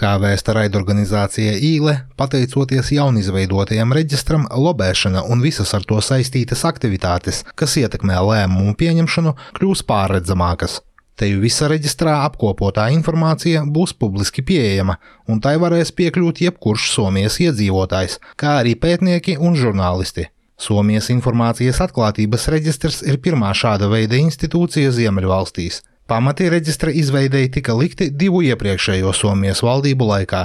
Kā vēsta raidorganizācija Īle, pateicoties jaunizveidotajam reģistram, lobēšana un visas ar to saistītas aktivitātes, kas ietekmē lēmumu pieņemšanu, kļūs pārredzamākas. Teju visa reģistrā apkopotā informācija būs publiski pieejama, un tai varēs piekļūt jebkurš Somijas iedzīvotājs, kā arī pētnieki un žurnālisti. Somijas informācijas atklātības reģistrs ir pirmā šāda veida institūcija Ziemeļvalstīs. Pamati reģistra izveidei tika likti 2 iepriekšējo Somijas valdību laikā.